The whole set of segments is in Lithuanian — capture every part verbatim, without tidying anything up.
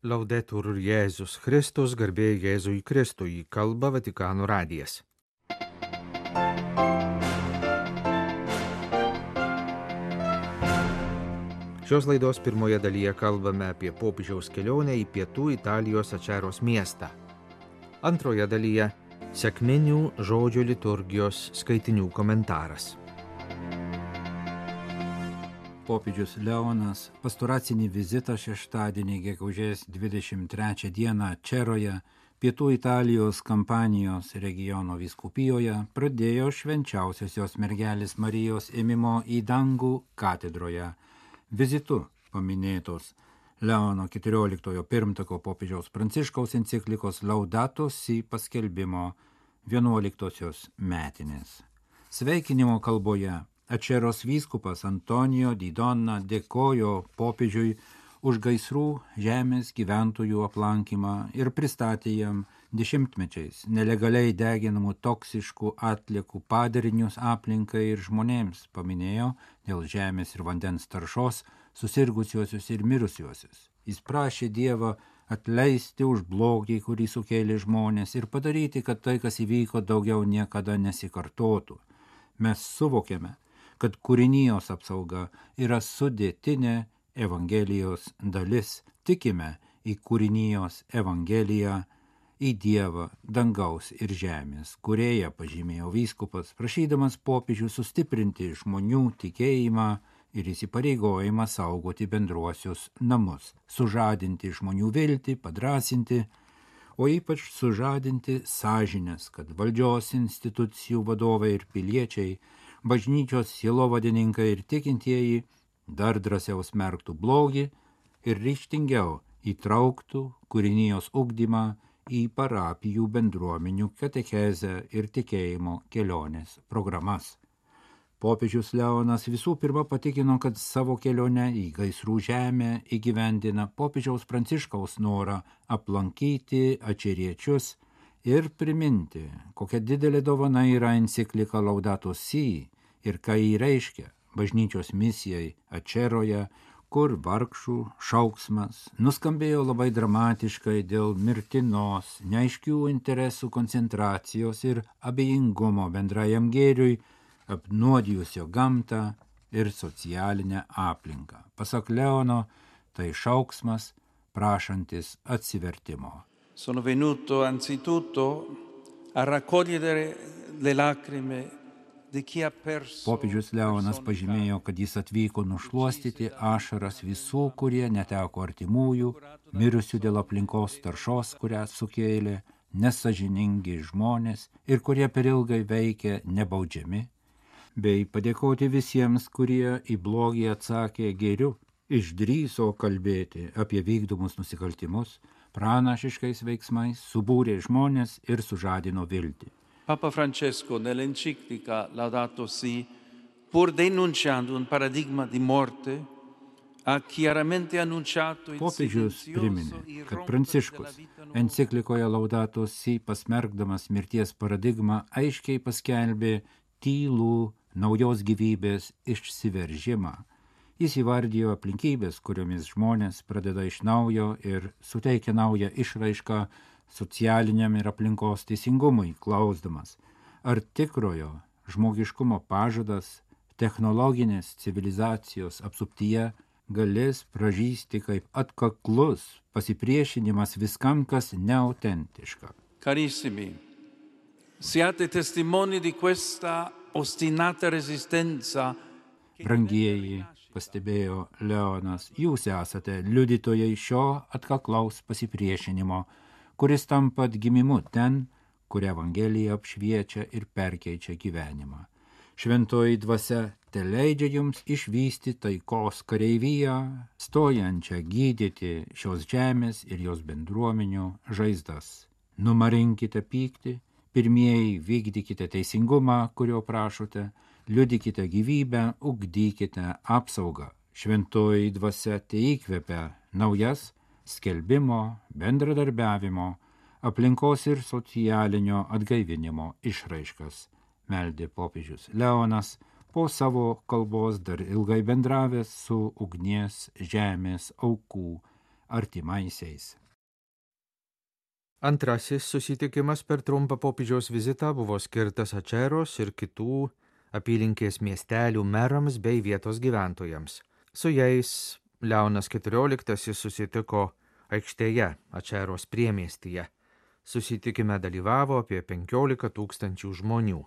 Laudetur Jėzus Kristus, garbė Jėzui Kristui, kalba Vatikano radijas. Šios laidos pirmoje dalyje kalbame apie popiežiaus kelionę į pietų Italijos Ačeros miestą. Antroje dalyje sekminių žodžio liturgijos skaitinių komentaras. Popiežius Leonas pastoracinį vizitą šeštadienį gegužės dvidešimt trečią dieną Ačeroje, pietų Italijos Kampanijos regiono vyskupijoje pradėjo švenčiausiosios mergelės Marijos ėmimo į dangų katedroje. Vizitu paminėtos Leono keturioliktojo pirmtako popiežiaus Pranciškaus enciklikos Laudato Si paskelbimo vienuoliktosios metinės. Sveikinimo kalboje Ačeros vyskupas Antonijo Di Donna dėkojo popiežiui už gaisrų žemės gyventojų aplankymą ir pristatė jam dešimtmečiais nelegaliai deginamų toksiškų atliekų padarinius aplinkai ir žmonėms, paminėjo dėl žemės ir vandens taršos susirgusiuosius ir mirusiuosius. Jis prašė Dievą atleisti už blogį, kurį sukėlė žmonės, ir padaryti, kad tai, kas įvyko, daugiau niekada nesikartotų. Mes suvokėme, kad kūrinijos apsauga yra sudėtinė Evangelijos dalis. Tikime į kūrinijos Evangeliją, į Dievą, dangaus ir žemės, kūrėją, pažymėjo vyskupas, prašydamas popiežių sustiprinti žmonių tikėjimą ir įsipareigojimą saugoti bendruosius namus, sužadinti žmonių viltį, padrąsinti, o ypač sužadinti sąžinės, kad valdžios institucijų vadovai ir piliečiai, bažnyčios sielovadininkai ir tikintieji dar drąsiau smerktų blogį ir ryžtingiau įtrauktų kūrinijos ugdymą į parapijų bendruomenių katechezę ir tikėjimo kelionės programas. Popiežius Leonas visų pirma patikino, kad savo kelionę į gaisrų žemę įgyvendina popiežiaus Pranciškaus norą aplankyti ačeriečius ir priminti, kokia didelė dovana yra enciklika Laudato Si ir ką jį reiškia bažnyčios misijai Ačeroje, kur vargšų šauksmas nuskambėjo labai dramatiškai dėl mirtinos, neaiškių interesų koncentracijos ir abejingumo bendrajam gėriui, apnuodijusio gamtą ir socialinę aplinką. Pasak Leono, tai šauksmas prašantis atsivertimo. Sono venuto anzitutto a raccogliere le lacrime di chi ha perso. Popiežius Leonas pažymėjo, kad jis atvyko nušluostyti ašaras visų, kurie neteko artimųjų, mirusių dėl aplinkos taršos, kurią sukėlė nesąžiningi žmonės ir kurie per ilgai veikia nebaudžiami, bei padėkoti visiems, kurie į blogį atsakė gėriu, išdrįso kalbėti apie vykdomus nusikaltimus, pranašiškais veiksmais subūrė žmonės ir sužadino viltį. Papa Francesco nell'enciclica Laudato Si, pur denunciando un paradigma di morte, ha chiaramente annunciato il Popiežius priminė, kad Pranciškus enciklikoje Laudato Si, pasmerkdamas mirties paradigmą, aiškiai paskelbė tylų naujos gyvybės išsiveržimą. Jis įvardijo aplinkybės, kuriomis žmonės pradeda iš naujo ir suteikia naują išraišką socialiniam ir aplinkos teisingumui, klausdamas, ar tikrojo žmogiškumo pažadas technologinės civilizacijos apsuptyje galės pražysti kaip atkaklus pasipriešinimas viskam, kas neautentiška. Carissimi, siate testimoni di questa ostinata resistenza. Brangieji, pastebėjo Leonas, jūs esate liudytojai šio atkaklaus pasipriešinimo, kuris tampa atgimimu ten, kur Evangelija apšviečia ir perkeičia gyvenimą. Šventoji dvasia teleidžia jums išvysti taikos kareiviją, stojančią gydyti šios žemės ir jos bendruomenių žaizdas. Numarinkite pyktį, pirmieji vykdykite teisingumą, kurio prašote, liudykite gyvybę, ugdykite apsaugą. Šventoji dvasia teįkvepia naujas skelbimo, bendradarbiavimo, aplinkos ir socialinio atgaivinimo išraiškas, meldė popiežius Leonas, po savo kalbos dar ilgai bendravęs su ugnies žemės aukų artimaisiais. Antrasis susitikimas per trumpą popiežiaus vizitą buvo skirtas Ačeros ir kitų apylinkės miestelių merams bei vietos gyventojams. Su jais Leonas keturioliktasis susitiko aikštėje Ačeros priemiestyje. Susitikime dalyvavo apie penkiolika tūkstančių žmonių.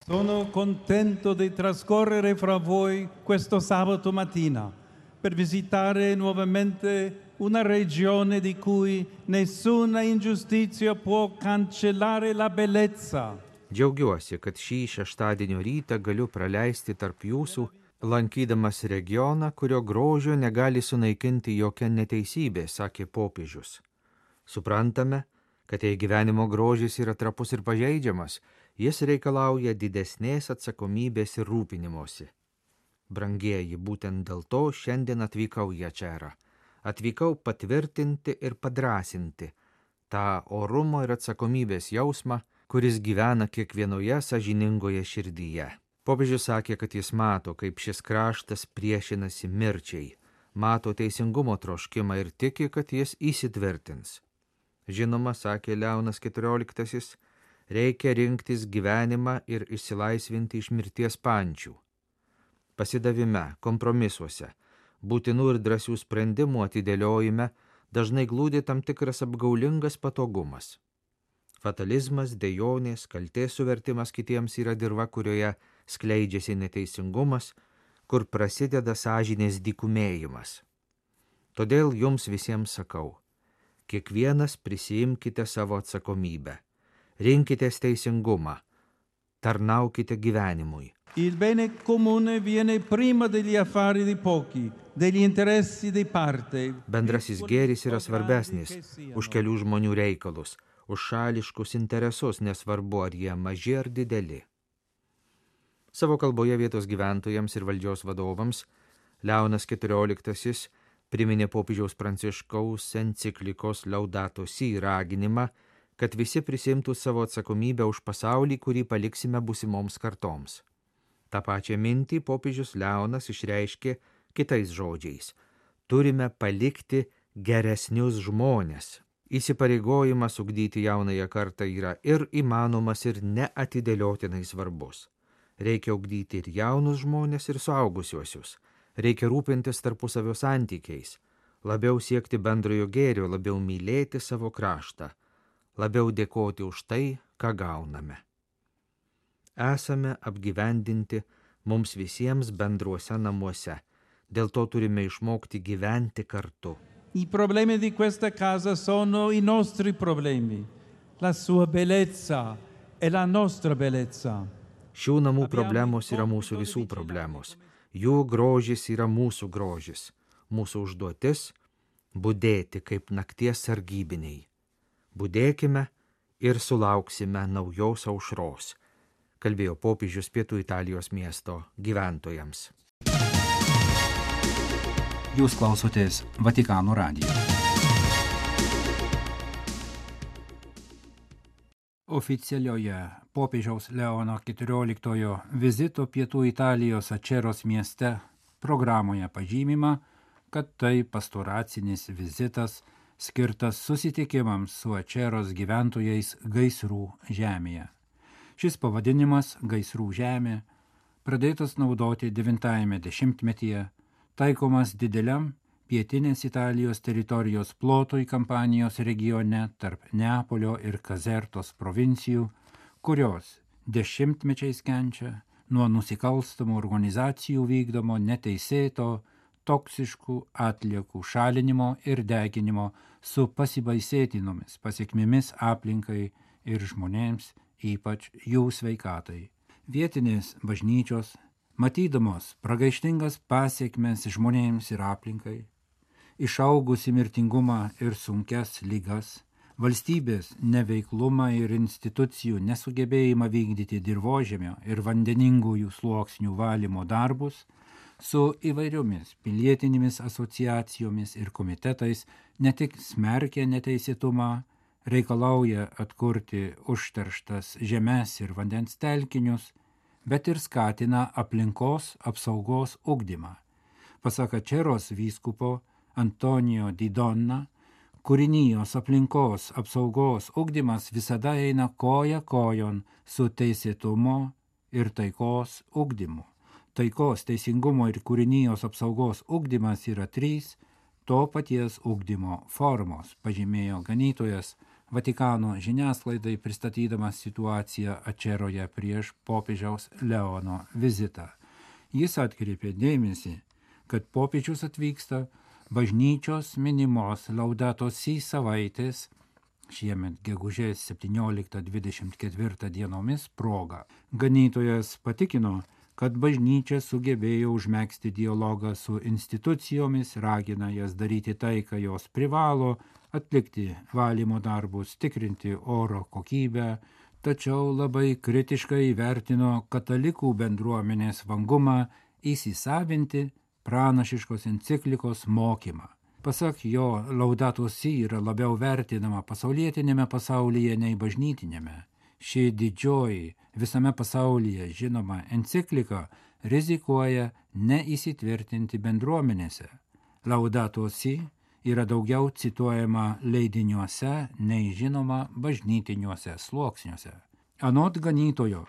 Sono contento di trascorrere fra voi questo sabato mattina per visitare nuovamente una regione di cui nessuna ingiustizia può cancellare la bellezza. Džiaugiuosi, kad šį šeštadienio rytą galiu praleisti tarp jūsų, lankydamas regioną, kurio grožio negali sunaikinti jokia neteisybė, sakė popiežius. Suprantame, kad jei gyvenimo grožis yra trapus ir pažeidžiamas, jis reikalauja didesnės atsakomybės ir rūpinimosi. Brangieji, būtent dėl to šiandien atvykau į Ačerą. Atvykau patvirtinti ir padrasinti tą orumo ir atsakomybės jausmą, kuris gyvena kiekvienoje sąžiningoje širdyje. Popiežius sakė, kad jis mato, kaip šis kraštas priešinasi mirčiai, mato teisingumo troškimą ir tiki, kad jis įsitvirtins. Žinoma, sakė Leonas keturioliktasis, reikia rinktis gyvenimą ir išsilaisvinti iš mirties pančių. Pasidavime, kompromisuose, būtinų ir drąsių sprendimų atidėliojime dažnai glūdi tam tikras apgaulingas patogumas. Fatalizmas, dejonės, kaltės suvertimas kitiems yra dirva, kurioje skleidžiasi neteisingumas, kur prasideda sąžinės dykumėjimas. Todėl jums visiems sakau, kiekvienas prisiimkite savo atsakomybę, rinkitės teisingumą, tarnaukite gyvenimui. Il bene comune viene prima degli affari di pochi, degli interessi di parte. Bendrasis gėris yra svarbesnis už kelių žmonių reikalus, už šališkus interesus, nesvarbu ar jie maži ar dideli. Savo kalboje vietos gyventojams ir valdžios vadovams Leonas keturioliktasis priminė popiežiaus Pranciškaus enciklikos Laudato Si raginimą, kad visi prisimtų savo atsakomybę už pasaulį, kurį paliksime būsimoms kartoms. Ta pačią mintį popiežius Leonas išreiškė kitais žodžiais. Turime palikti geresnius žmones. Įsipareigojimas ugdyti jaunąją kartą yra ir įmanomas, ir neatidėliotinai svarbus. Reikia ugdyti ir jaunus žmones, ir suaugusiuosius. Reikia rūpintis tarpusavio santykiais, labiau siekti bendrojo gėrio, labiau mylėti savo kraštą, labiau dėkoti už tai, ką gauname. Esame apgyvendinti mums visiems bendruose namuose, dėl to turime išmokti gyventi kartu. I problemi di questa casa sono i nostri problemi, la sua bellezza e la nostra bellezza. Šių namų problemos yra mūsų visų problemos, jų grožis yra mūsų grožis, mūsų užduotis – budėti kaip nakties sargybiniai. Budėkime ir sulauksime naujos aušros, kalbėjo popiežius Pietų Italijos miesto gyventojams. Jūs klausotės Vatikano radijo. Oficialioje popiežiaus Leono keturioliktojo vizito Pietų Italijos Ačeros mieste programoje pažymima, kad tai pastoracinis vizitas skirtas susitikimams su Ačeros gyventojais gaisrų žemėje. Šis pavadinimas gaisrų žemė pradėtas naudoti devintajame dešimtmetyje, taikomas dideliam pietinės Italijos teritorijos plotui Kampanijos regione tarp Neapolio ir Kazertos provincijų, kurios dešimtmečiais kenčia nuo nusikalstamų organizacijų vykdomo neteisėto, toksiškų atliekų šalinimo ir deginimo su pasibaisėtinomis pasiekmėmis aplinkai ir žmonėms, ypač jų sveikatai. Vietinės bažnyčios, matydamos pragaištingas pasiekmes žmonėms ir aplinkai, išaugusi mirtingumą ir sunkias ligas, valstybės neveiklumą ir institucijų nesugebėjimą vykdyti dirvožemio ir vandeningųjų sluoksnių valymo darbus, su įvairiomis pilietinėmis asociacijomis ir komitetais ne tik smerkia neteisėtumą, reikalauja atkurti užterštas žemes ir vandens telkinius, bet ir skatina aplinkos apsaugos ugdymą. Pasak Ačeros vyskupo Antonijo Di Donna, kūrinijos aplinkos apsaugos ugdymas visada eina koja kojon su teisėtumo ir taikos ugdymu. Taikos, teisingumo ir kūrinijos apsaugos ugdymas yra trys to paties ugdymo formos, pažymėjo ganytojas Vatikano žiniasklaidai pristatydamas situaciją Ačeroje prieš popiežiaus Leono vizitą. Jis atkreipė dėmesį, kad popiežius atvyksta bažnyčios minimos Laudato Si savaitės šiemet gegužės septynioliktą dvidešimt ketvirtą dienomis proga. Ganytojas patikino, kad bažnyčia sugebėjo užmegzti dialogą su institucijomis, ragina jas daryti tai, ką jos privalo, atlikti valymo darbus, tikrinti oro kokybę, tačiau labai kritiškai vertino katalikų bendruomenės vangumą įsisavinti pranašiškos enciklikos mokymą. Pasak jo, Laudato Si yra labiau vertinama pasaulietinėme pasaulyje nei bažnytinėme. Ši didžioji visame pasaulyje žinoma enciklika rizikuoja neįsitvirtinti bendruomenėse. Laudato Si yra daugiau cituojama leidiniuose nei žinoma bažnytiniuose sluoksniuose. Anot ganytojo,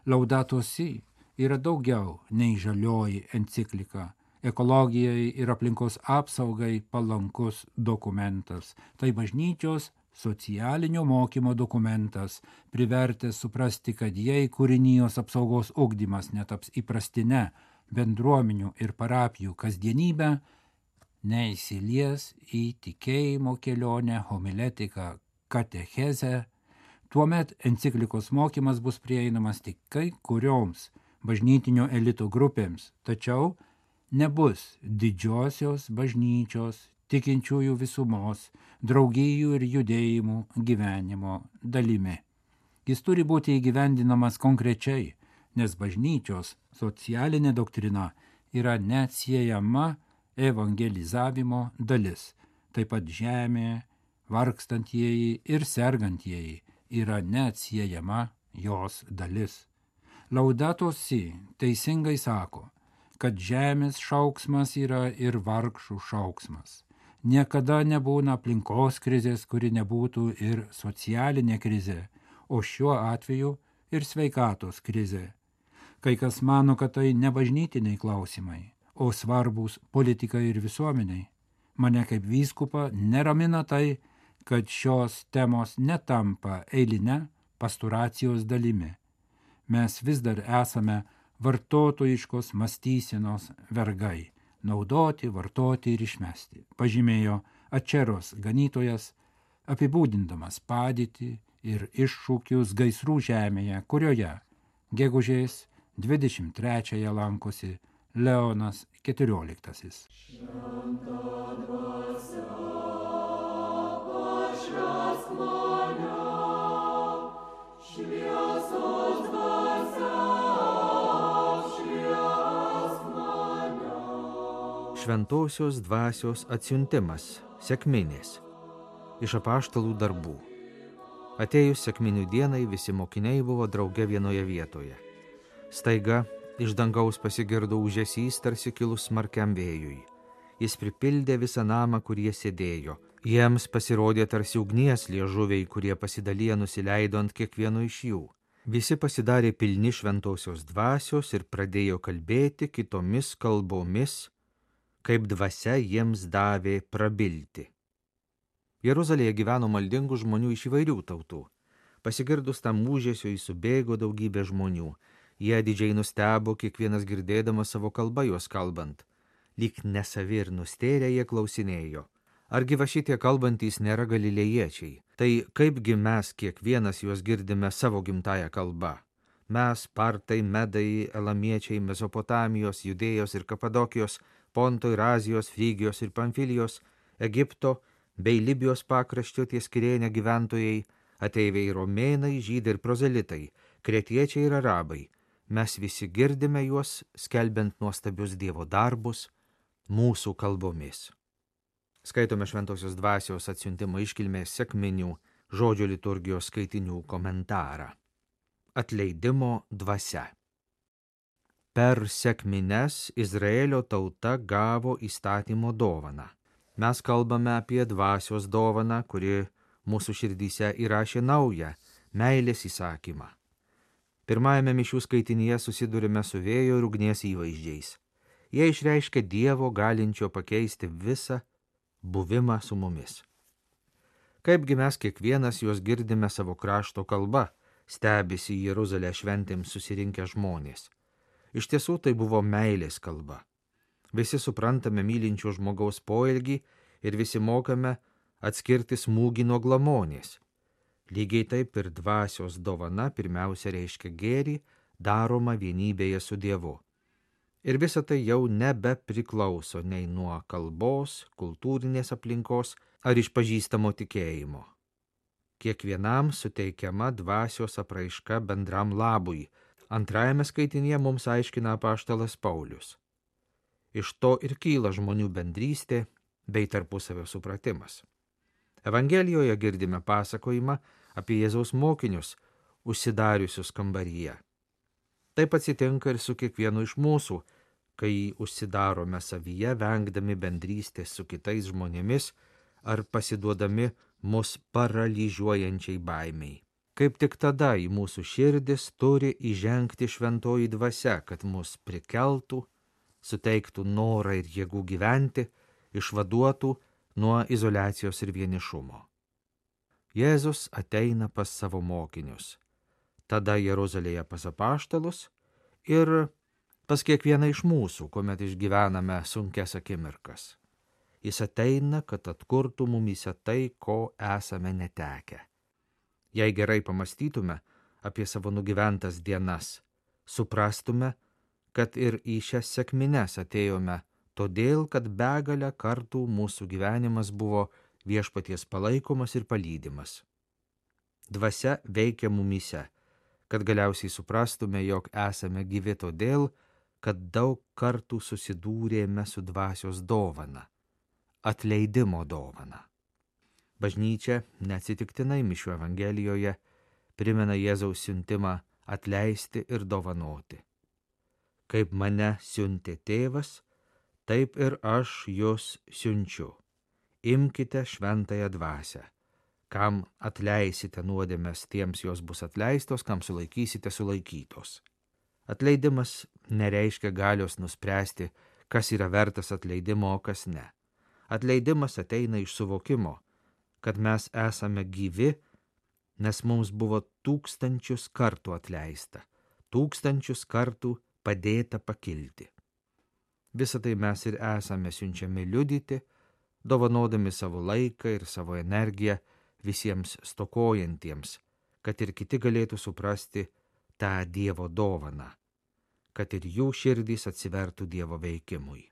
Laudato Si yra daugiau nei žalioji enciklika, ekologijai ir aplinkos apsaugai palankus dokumentas. Tai bažnyčios socialinio mokymo dokumentas, privertęs suprasti, kad jei kūrinijos apsaugos ugdymas netaps įprastine bendruomenių ir parapijų kasdienybę, neįsilies į tikėjimo kelionę, homiletiką, katechezę, tuomet enciklikos mokymas bus prieinamas tik kai kurioms bažnytinio elito grupėms, tačiau nebus didžiosios bažnyčios, tikinčiųjų visumos, draugijų ir judėjimų gyvenimo dalimi. Jis turi būti įgyvendinamas konkrečiai, nes bažnyčios socialinė doktrina yra neatsiejama evangelizavimo dalis. Taip pat žemė, vargstantieji ir sergantieji yra neatsiejama jos dalis. Laudato Si teisingai sako, kad žemės šauksmas yra ir vargšų šauksmas. Niekada nebūna aplinkos krizės, kuri nebūtų ir socialinė krizė, o šiuo atveju ir sveikatos krizė. Kai kas mano, kad tai ne bažnytiniai klausimai, o svarbus politikai ir visuomeniai. Mane kaip vyskupą neramina tai, kad šios temos netampa eiline pasturacijos dalimi. Mes vis dar esame vartotojiškos mąstysenos vergai. Naudoti, vartoti ir išmesti, pažymėjo Ačeros ganytojas, apibūdindamas padėtį ir iššūkius gaisrų žemėje, kurioje gegužės dvidešimt trečiąją lankosi Leonas keturioliktasis. Šventosios dvasios atsiuntimas, sekminės, iš apaštalų darbų. Atėjus sekminių dienai visi mokiniai buvo drauge vienoje vietoje. Staiga iš dangaus pasigirdo ūžesys tarsi kilus smarkiam vėjui. Jis pripildė visą namą, kur jie sėdėjo. Jiems pasirodė tarsi ugnies liežuviai, kurie pasidaliję nusileido ant kiekvieno iš jų. Visi pasidarė pilni šventosios dvasios ir pradėjo kalbėti kitomis kalbomis, kaip dvasia jiems davė prabilti. Jeruzalėje gyveno maldingų žmonių iš įvairių tautų. Pasigirdus tam ūžesiui subėgo daugybė žmonių. Jie didžiai nustebo, kiekvienas girdėdamas savo kalbą juos kalbant. Lyg nesavi ir nustėrę jie klausinėjo. Argi va šitie kalbantys nėra galilėjiečiai? Tai kaipgi mes kiekvienas juos girdime savo gimtąją kalbą? Mes, partai, medai, elamiečiai, Mesopotamijos, Judėjos ir Kapadokijos, Ponto ir Azijos, Frygijos ir Pamfilijos, Egipto bei Libijos pakraščio ties Kirėne gyventojai, ateiviai romėnai, žydai ir prozelitai, kretiečiai ir arabai. Mes visi girdime juos, skelbiant nuostabius Dievo darbus mūsų kalbomis. Skaitome Šventosios dvasios atsiuntimo iškilmės sekminių žodžio liturgijos skaitinių komentarą. Atleidimo dvasia. Per sekmines Izraelio tauta gavo įstatymo dovaną. Mes kalbame apie dvasios dovaną, kuri mūsų širdyse įrašė naują meilės įsakymą. Pirmajame mišių skaitinyje susidurime su vėjo ir ugnies įvaizdžiais. Jie išreiškia Dievo galinčio pakeisti visą buvimą su mumis. Kaipgi mes kiekvienas juos girdime savo krašto kalba, stebisi į Jeruzalę šventėms susirinkę žmonės. Iš tiesų tai buvo meilės kalba. Visi suprantame mylinčio žmogaus poelgį ir visi mokame atskirti smūgį nuo glamonės. Lygiai taip ir dvasios dovana pirmiausia reiškia gėrį, daroma vienybėje su Dievu. Ir visa tai jau nebepriklauso nei nuo kalbos, kultūrinės aplinkos ar išpažįstamo tikėjimo. Kiekvienam suteikiama dvasios apraiška bendram labui. Antrajame skaitinyje mums aiškina apaštalas Paulius. Iš to ir kyla žmonių bendrystė bei tarpusavio supratimas. Evangelijoje girdime pasakojimą apie Jėzaus mokinius, užsidariusius kambaryje. Taip atsitinka ir su kiekvienu iš mūsų, kai užsidarome savyje, vengdami bendrystės su kitais žmonėmis ar pasiduodami mus paralyžiuojančiai baimiai. Kaip tik tada į mūsų širdis turi įžengti šventoji dvasia, kad mus prikeltų, suteiktų norą ir jėgų gyventi, išvaduotų nuo izoliacijos ir vienišumo. Jėzus ateina pas savo mokinius, tada Jeruzalėje pas apaštalus ir pas kiekvieną iš mūsų, kuomet išgyvename sunkias akimirkas. Jis ateina, kad atkurtų mumyse tai, ko esame netekę. Jei gerai pamastytume apie savo nugyventas dienas, suprastume, kad ir į šias sekmines atėjome todėl, kad begalę kartų mūsų gyvenimas buvo viešpaties palaikomas ir palydimas. Dvasia veikia mumyse, kad galiausiai suprastume, jog esame gyvi todėl, kad daug kartų susidūrėme su dvasios dovana, atleidimo dovana. Bažnyčia neatsitiktinai mišių Evangelijoje primena Jėzaus siuntimą atleisti ir dovanoti. Kaip mane siuntė tėvas, taip ir aš jus siunčiu. Imkite šventąją dvasią. Kam atleisite nuodėmes, tiems jos bus atleistos, kam sulaikysite, sulaikytos. Atleidimas nereiškia galios nuspręsti, kas yra vertas atleidimo, o kas ne. Atleidimas ateina iš suvokimo, kad mes esame gyvi, nes mums buvo tūkstančius kartų atleista, tūkstančius kartų padėta pakilti. Visą tai mes ir esame siunčiami liudyti, dovanodami savo laiką ir savo energiją visiems stokojantiems, kad ir kiti galėtų suprasti tą Dievo dovaną, kad ir jų širdys atsivertų Dievo veikimui.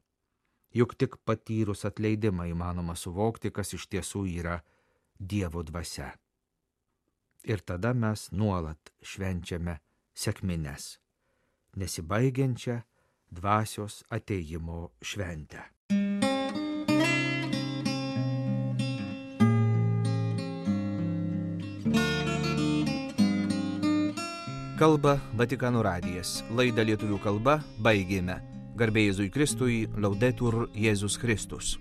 Juk tik patyrus atleidimą įmanoma suvokti, kas iš tiesų yra Dievo dvasia. Ir tada mes nuolat švenčiame sekmines, nesibaigiančią dvasios atėjimo šventę. Kalba Vatikano radijas. Laidą lietuvių kalba baigėme. Garbė Jėzui Kristui, Laudetur Jėzus Kristus.